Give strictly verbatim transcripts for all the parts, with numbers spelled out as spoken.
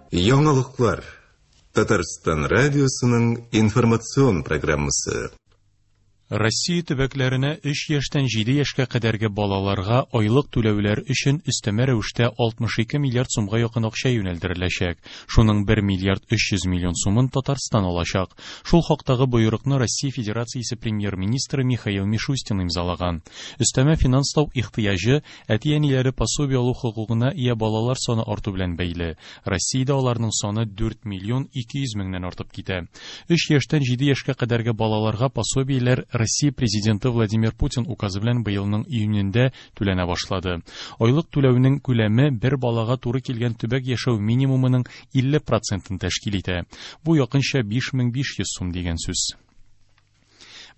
Яңалыклар. Татарстан радиосының информацион программасы. Россия төбәкләренә өч яшьтән җиде яшькә кадәрге балаларга айлык түләүләр өчен өстәмә рәвештә алтмыш ике миллиард сумга якын акча юнәлдереләчәк. Шуның бер миллиард өч йөз миллион сумын Татарстан алачак. Шул хактагы боерыкны Россия Федерациясе премьер-министры Михаил Мишустин имзалаган. Өстәмә финанслау ихтыяҗы әти-әниләре пособие алу хокукына ия балалар саны арту белән бәйле. Россиядә аларның саны дүрт миллион ике йөз меңнән артып китә. Өч яшьтән җиде яшькә кадәрге балаларга пособиеләр Россия президенты Владимир Путин указы белән быелның июнендә түләнә башлады. Айлык түләүнең күләме бер балага туры килгән төбәк яшәү минимумының илле процентын тәшкил итә. Бу якынча биш мең биш йөз сум дигән сүз.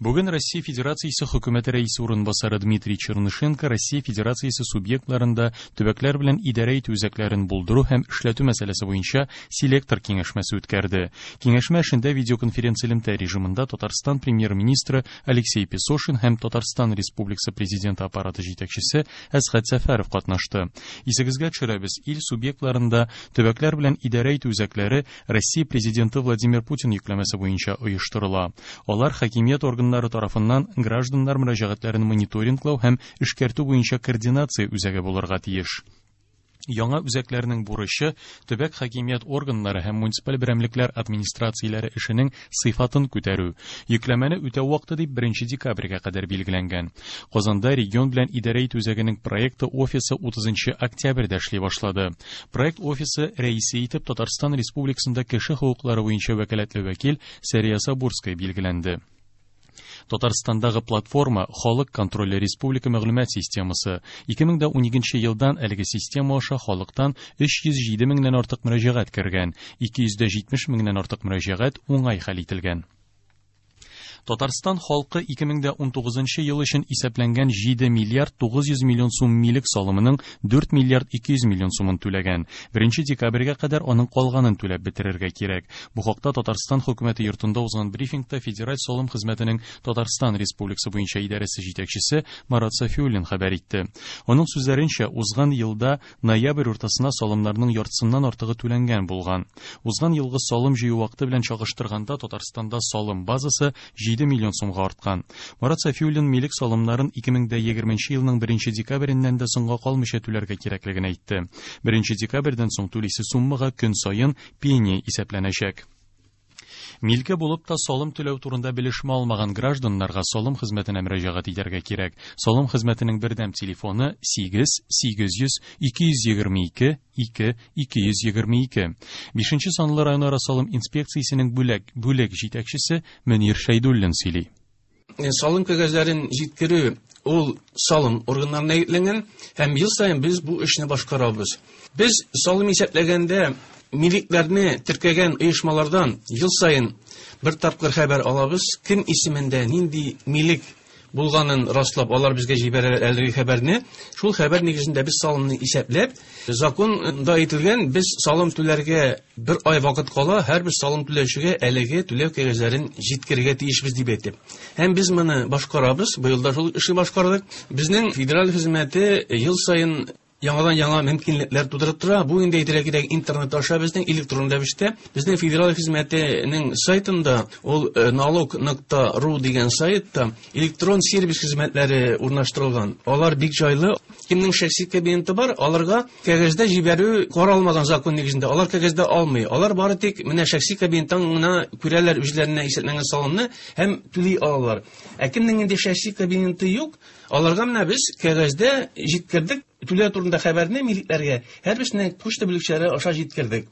Бүген Россия Федерациясе хөкүмәте рәисе урынбасары Дмитрий Чернышенко Россия Федерациясе субъектларында төбәкләр белән идарә итү үзәкләрен булдыру һәм эшләтү мәсьәләсе буенча селектор киңәшмәсе үткәрде. Киңәшмә эшендә видеоконференц-элемтә режимында Татарстан премьер-министры Алексей Песошин һәм Татарстан Республикасы президенты аппараты җитәкчесе Әсхәт Сәфәров катнашты. Исегезгә төшерәбез, ил субъектларында төбәкләр белән идарә итү үзәкләре Россия президенты Владимир Путин йөкләмәсе буенча оештырыла. Алар хакимият органнары тарафыннан гражданнар мөрәҗәгатьләрен мониторинглау һәм эшкәртү буенча координация үзәге булырга тиеш. Яңа үзәкләрнең бурычы төбәк хакимият органнары һәм муниципаль берәмлекләр администрацияләре эшенең сыйфатын күтәрү. Йөкләмәне үтәү вакыты дип беренче декабрьгә кадәр билгеләнгән. Казанда регион белән идарә итү үзәгенең проекты офисы утызынчы октябрьдә эшли башлады. Проект офисы рәисе итеп Татарстан Республикасында кеше хокуклары буенча вәкаләтле вәкил Сәрия Сабурская билгеләнде. Татарстандагы платформа Халык контроле республика мәгълүмат системасы. ике мең дә уникенче елдан әлеге система аша халыктан өч йөз җиде меңнән артык мөрәҗәгать кергән, ике йөз дә җитмеш меңнән артык мөрәҗәгать уңай хәл ителгән. Татарстан халкы ике мең дә унтугызынчы ел өчен исәпләнгән җиде миллиард тугыз йөз миллион сум милек салымының дүрт миллиард ике йөз миллион сумын түләгән. Беренче декабрьгә кадәр аның калганын түләп бетерергә кирәк. Бу хакта Татарстан хөкүмәте йортында узган брифингта Федераль салым хезмәтенең Татарстан Республикасы буенча идарәсе җитәкчесе Марат Сафиуллин хәбәр итте. Аның сүзләренчә, узган елда ноябрь уртасына салымнарның яртысыннан артыгы түләнгән булган. Узган елгы салым җыю вакыты белән чагыштырганда Татарстанда салым базасы җиде миллион сумга арткан. Марат Сафиуллин милек салымнарын ике мең дә егерменче елның беренче декабреннән дә соңга калмыйча түләргә кирәклеген әйтте. Беренче декабрьдән соң түлисе суммага көн саен пеня исәпләнәчәк. Милке булып та салым түләү турында белешмә алмаган гражданнарга салым хезмәтенә мөрәҗәгать итәргә кирәк. Салым хезмәтенең бердәм телефоны сигез сигез йөз ике йөз егерме ике ике ике йөз егерме ике. Бишенче санлы районара салым инспекциясенең бүлек, бүлек җитәкчесе Мөнир Шәйдуллин сөйли. Салым кәгазьләрен җиткерү ул салым органнарына йөкләнгән һәм ел саен без бу эшне башкарабыз. Без салым исәпләгәндә милекләрне теркәгән оешмалардан ел саен бер тапкыр хәбәр алабыз. Кем исемендә нинди милек булганын раслап, алар безгә җибәрәләр әлеге хәбәрне. Шул хәбәр нигезендә без салымны исәпләп, законда әйтелгән, без салым түләргә бер ай вакыт кала, һәрбер салым түләүчегә әлеге түләү кәгазьләрен җиткерергә тиешбез дип әйтеп. Һәм без моны башкарабыз, быел да шул эшне башкардык. Безнең федераль хезмәте ел саен яңадан яңа мөмкинлекләр тудырып тора. Бу инде әйтергә кирәк, интернет аша безнең электрон рәвештә безнең федераль хезмәтенең сайтында, ул, э, налог нокта ру дигән сайтта электрон сервис хезмәтләре урнаштырылган. Алар бик җайлы. Кемнең шәхси кабинеты бар, аларга кәгазьдә җибәрү каралмаган закон нигезендә. Алар кәгазьдә алмый. Алар бары тик менә шәхси кабинеттан гына күрәләр үзләренә исәпләнгән салымны һәм түли алалар. Ә кемнең инде шәхси кабинеты юк, аларга менә без кәгазьдә җиткердек. Түләү турында хәбәрне милекләргә һәрберсенә почта бүлекчәләре аша җиткердек.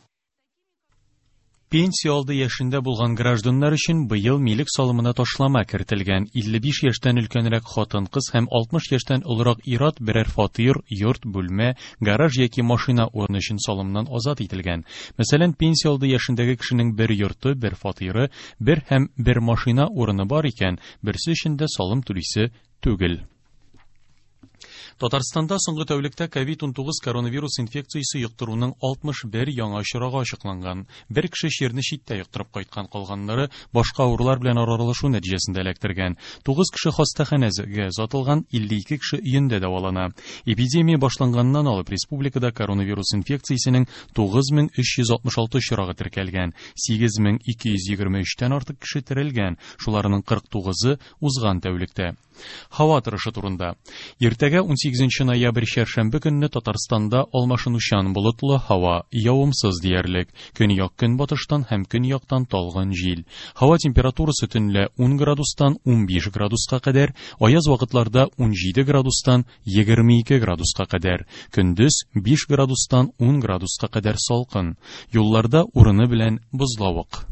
Пенсия алды яшендә булган гражданнар өчен быел милек салымына ташлама кертелгән. Илле биш яшьтән өлкәнрәк хатын-кыз һәм алтмыш яшьтән олырак ир-ат берәр фатир, йорт, бүлмә, гараж яки машина урыны өчен салымнан азат ителгән. Мәсәлән, пенсия алды яшендәге кешенең бер йорты, бер фатиры, бер һәм бер машина урыны бар икән, берсе өчен дә салым түлисе түгел. Татарстанда соңгы тәүлектә ковид унтугыз коронавирус инфекциясе йоктыруның алтмыш бер яңа очрагы ачыкланган. Бер кеше чирне читтә йоктырып кайткан, калганнары башка авырулар белән аралашу нәтиҗәсендә эләктергән. Тугыз кеше хастаханәгә озатылган, илле ике кеше өендә дәвалана. Эпидемия башланганнан алып республикада коронавирус инфекциясенең тугыз мең өч йөз алтмыш алты очрагы теркәлгән, сигез мең ике йөз егерме өчтән артык кеше терелгән, шуларның кырык тугызы узган тәүлектә. Һава торышы турында. Иртәгә унсигезенче ноябрь чәршәмбе көнне Татарстанда алмашынучан болытлы һава, явымсыз диярлек. Көньяк көнбатыштан һәм көньяктан талгын җил. Һава температурасы төнлә ун градустан унбиш градуска кадәр, аяз вакытларда унҗиде градустан егерме ике градуска кадәр, көндез биш градустан ун градуска кадәр салкын. Юлларда урыны белән бозлавык.